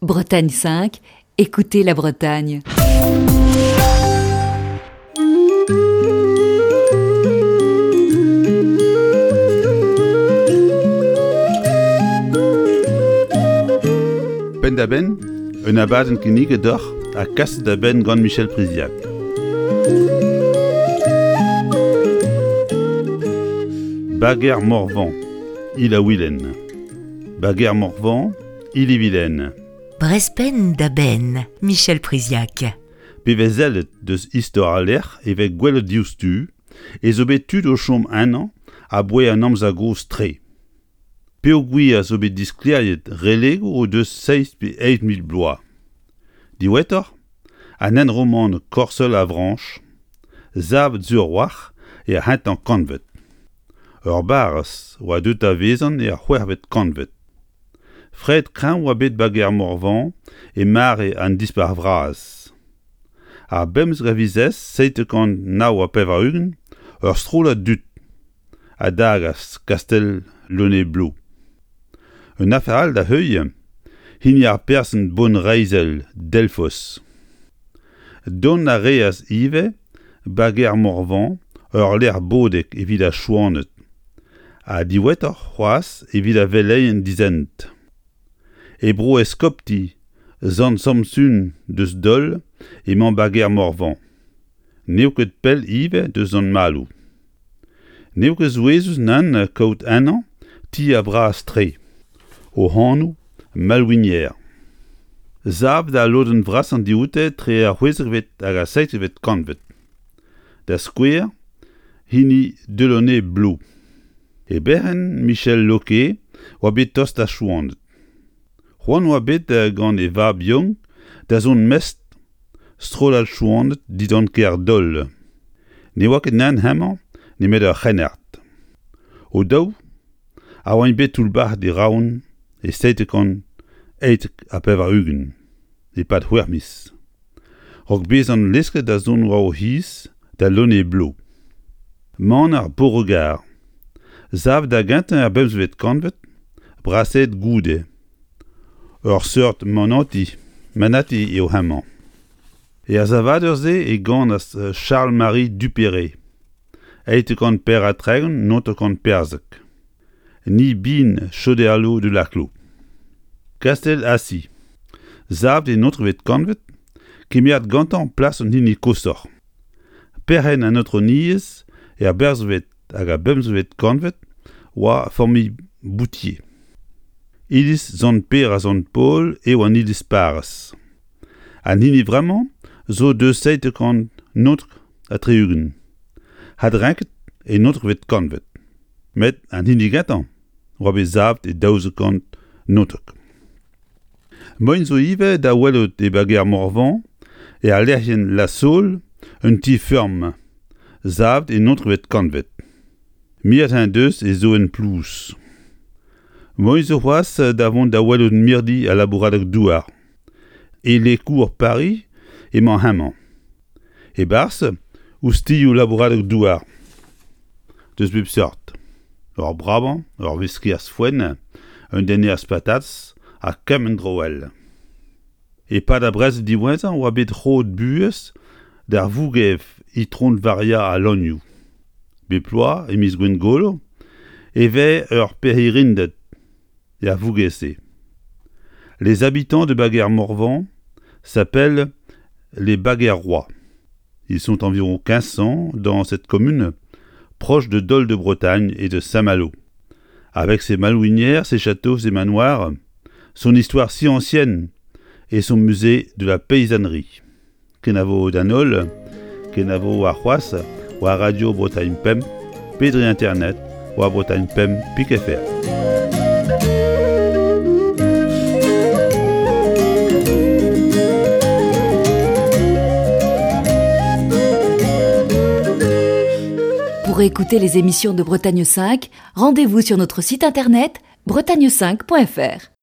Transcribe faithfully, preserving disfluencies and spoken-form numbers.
Bretagne cinq, écoutez la Bretagne. Penn-da-benn, un abadenn kinniget deoc'h ha kaset da benn gant Michel Priziac. Bager Morvan, Il-ha-Wilen. Bager Morvan, Il-et-Vilaine. Brezh Penn da Benn, Michel Priziac. Pe vez sellet deus istor al lec'h e vez gwelet diouzhtu ez zo bet tud o chom ennañ aboae an amzer gozh-tre. Peogwir zo bet disklêriet relegoù o deus seizh pe eizh mil bloaz. Diwezhatoc'h, an hent roman Corseul-Avranches, savet sur a-walc'h er c'hentañ kantved. Ur barrez oa deuet da vezañ er c'hwec'hvet kantved. Fred kreñv oa bet Bager Morvan e mare an Dispac'h Vras. Ar bemzek a viz seitek kant nav ha pevar-ugent, ur strollad dud a dagas kastell Launay-Bleau. Un afer all da heuilh, hini ar person bonreizhel Delfos. Dont a reas ivez Bager Morvan ur lec'h bodek evit ar Chouaned, ha diwezhatoc'h c'hoazh evit ar veleien dizent. E bro eskopti Sant Samsun deus Dol emañ Bager Morvan. N'eo ket pell ivez deus Sant-Maloù. N'eo ket souezhus nann kaout ennañ tier bras-tre, o anv Malouinière. Savet al lodenn vrasañ dioute tre ar c'hwezekvet hag ar seizhvet kantved. Da skouer, hini Delaunay-Bleau. E berc'henn Michel Loquet oa bet tost d'ar Chouaned. C'hoant oa bet gant e vab Young da zont mestr strollad Chouaned dindan kêr Dol. Ne oa ket nann hemañ nemet ur c'hrennard. O daou a oant bet toullbac'het e Roazhon e seitek kant eizhtek ha pevar-ugent e-pad c'hwec'h miz. Raok bezañ lesket da zont war o c'hiz da Launay-Bleau. Maner Beauregard, savet da gentañ er bemzekvet kantved, brasaet goude. Ur seurt manati, manati eo hemañ. Er savadur-se e ganas Charles-Marie Duperré, eizhtek kant pevar ha tregont naontek kant perzek. Ni bin Choderlos de Laclos. Kastell Assi, savet e naontekvet kantved, kemeret gantañ plas an hini koshoc'h. Perc'henn an aotrouniezh er berzvet hag ar bemzekvet kantved oa familh Boutier. Iliz Sant-Pêr ha Sant-Paol eo an iliz parrez. An hini vremañ zo deus seitek kant naontek ha tri-ugent. Adrenket e naontekvet kantved. Met an hini gentañ oa bet savet e daouzek kant naontek. Moaien zo ivez da welout e Bager Morvan e al lec'hienn La Saule un ti-feurm savet e naontekvet kantved. Miret en deus e zoenn plouz. Moaien zo c'hoazh da vont da welout mirdi al labouradeg-douar. E Les Cours Paris emañ hemañ. E-barzh oustilhoù labouradeg-douar deus bep seurt. Ur bravañ, ur vesker foenn, un dennerez patatez ha kement dro all. E-pad ar brezel diwezhañ oa bet roet buhez d'ar vougev Itron Varia al Lanioù. Bep bloaz, e miz Gwengolo, e vez ur pirc'hirinded er vougev-se. Les habitants de Baguer-Morvan s'appellent les Baguerrois. Ils sont environ quinze cents dans cette commune, proche de Dol-de-Bretagne et de Saint-Malo. Avec ses malouinières, ses châteaux, ses manoirs, son histoire si ancienne et son musée de la paysannerie. Kenavo d'an holl, kenavo ar c'hoazh, war Radio Bretagne Pemp, pe dre internet, war Bretagne Pemp pik F R. Pour écouter les émissions de Bretagne cinq, rendez-vous sur notre site internet bretagne cinq point F R.